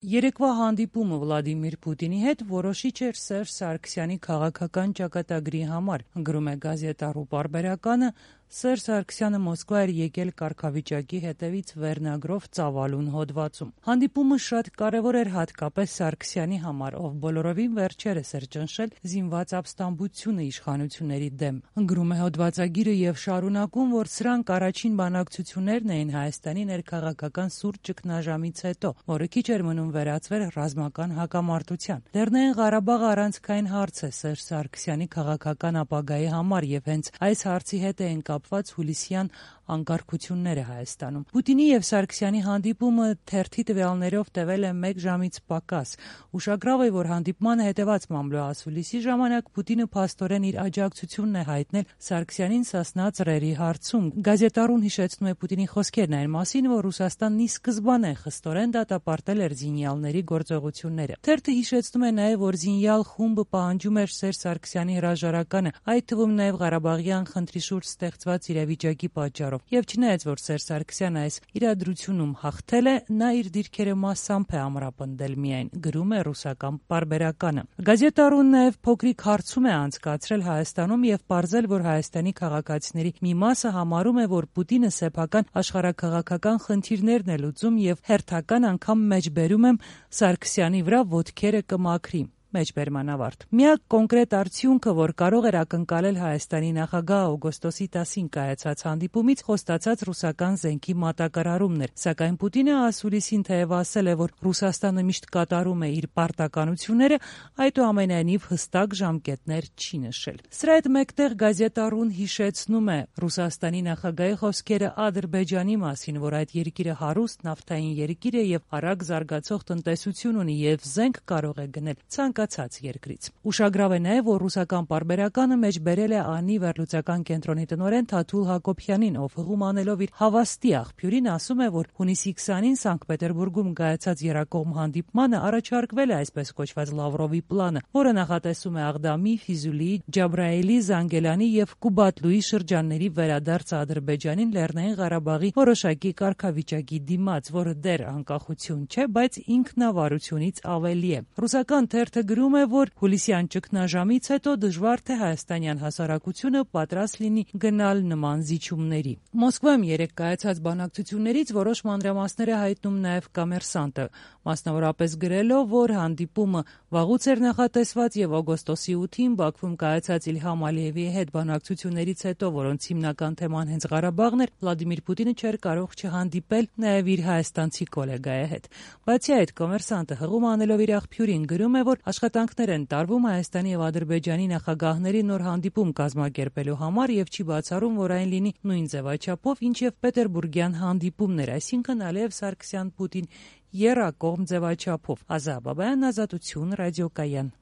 Երեկվա հանդիպումը Վլադիմիր Պուտինի հետ որոշիչ էր Սերժ Սարգսյանի քաղաքական ճակատագրի համար, գրում է Գազետա.ru պարբերականը։ Սերժ Սարգսյանը Մոսկվա էր եկել կարգավիճակի հետևից վերնագրով ծավալուն հոդվածում։ Հանդիպումը շատ կարևոր էր հատկապես Սարգսյանի համար, ով բոլորովին վերջերս էր ճնշել զինված ապստամբությունը իշխանությունների դեմ։ Գրում է հոդվածագիրը եւ շարունակում, որ սրանք առաջին բանակցություններն էին Հայաստանի ներքաղաքական սուր ճգնաժամից հետո, որը քիչ էր մնում վերածվեր ռազմական հակամարտության։ Լեռնային Ղարաբաղը առանցքային հարց է Սերժ Սարգսյանի քաղաքական ապագայի համար եւ հենց այս հարցի հետ են կապված հուլիսյան անկարգությունները Հայաստանում։ Պուտինի եւ Սարգսյանի հանդիպումը թերթի տվյալներով տևել է 1 ժամից պակաս։ Ուշագրավ է, որ հանդիպմանը հետեւած մամլո ասուլիսի ժամանակ Պուտինը փաստորեն իր աջակցությունն է հայտնել Սարգսյանին Սասնա ծռերի հարցում։ Գազետա.ru-ն հիշեցնում է Պուտինի խոսքերն այն մասին, որ Ռուսաստանն ի սկզբանե խստորեն դատապարտել էր զինյալների գործողությունները։ Թերթը հիշեցնում է նաեւ, որ զինյալ խումբը պահանջում էր Սերժ Սարգսյանի հրաժարականը, այդ թվում նաեւ Ղարաբաղյան խնդրի շուրջ ստեղծված իրավիճակի պատճառով։ Եվ չնայած որ Սերժ Սարգսյանը այս իրադրությունում հաղթել է, նա իր դիրքերը մասամբ է ամրապնդել միայն, գրում է ռուսական պարբերականը։ Գազետա.ru-ն նաեւ փոքրիկ հարցում է անցկացրել Հայաստանում եւ պարզել, որ Հայաստանի քաղաքացիների մի մասը համարում է, որ Պուտինը սեփական աշխարհաքաղաքական խնդիրներն է լուծում եւ հերթական անգամ մեջբերում եմ Սարգսյանի վրա ոտքերը կմաքրի։ Մեջբերման ավարտ։ Միակ կոնկրետ արդյունքը, որ կարող էր ակնկալել Հայաստանի նախագահ օգոստոսի 10-ին կայացած հանդիպումից, խոստացած ռուսական զենքի մատակարարումն էր, սակայն Պուտինը ասուլիսին թեև ասել է, որ Ռուսաստանը միշտ կատարում է իր պարտականությունները, այդուամենայնիվ հստակ ժամկետներ չի նշել։ Սրա հետ մեկտեղ Գազետա.ru-ն հիշեցնում է Ռուսաստանի նախագահի խոսքերը Ադրբեջանի մասին, որ այդ երկիրը հարուստ նավթային երկիր է եւ արագ զարգացող տնտեսություն ունի եւ զենք կարող է գնել ցանկացած երկրից։ Ուշագրավ է նաեւ, որ ռուսական պարբերականը մեջբերել է ԱՆԻ վերլուծական կենտրոնի տնօրեն Թաթուլ Հակոբյանին, ով հղում անելով իր հավաստի աղբյուրին ասում է, որ հունիսի 20-ին Սանկտ Պետերբուրգում կայացած երակողմ հանդիպմանը առաջարկվել է այսպես կոչված Լավրովի պլանը, որը նախատեսում է Աղդամի, Ֆիզուլիի, Ջաբրայելի, Զանգելանի եւ Կուբատլուի շրջանների վերադարձը Ադրբեջանին Լեռնային Ղարաբաղի որոշակի կարգավիճակի դիմաց, որը դեռ անկախություն չէ, բայց ինքնավարությունից ավելի է։ Ռուսական թերթը գրում է, որ հուլիսյան ճգնաժամից հետո դժվար թե հայաստանյան հասարակությունը պատրաստ լինի գնալ նման զիջումների։ Մոսկվայում երեկ կայացած բանակցություններից որոշ մանրամասներ է հայտնում նաև Կոմերսանտը, մասնավորապես գրելով, որ հանդիպումը վաղուց էր նախատեսված եւ օգոստոսի 8-ին Բաքվում կայացած Իլհամ Ալիևի հետ բանակցություններից հետո, որոնց հիմնական թեման հենց Ղարաբաղն էր, Վլադիմիր Պուտինը չէր կարող չհանդիպել նաև իր հայաստանցի գոլեգայի հետ։ Բացի այդ, Կոմերսանտը հղում անելով իր աղբյուրին գրում է, որ աշխատանքներ են տարվում Հայաստանի եւ Ադրբեջանի նախագահների նոր հանդիպում կազմակերպելու համար եւ չի բացառում, որ այն լինի նույն ձևաչափով, ինչ եւ Պետերբուրգյան հանդիպումներ, այսինքն Ալիև Սարգսյան Պուտին եռակողմ ձևաչափով։ Ազա Բաբայան, Ազատություն, Ռադիոկայան։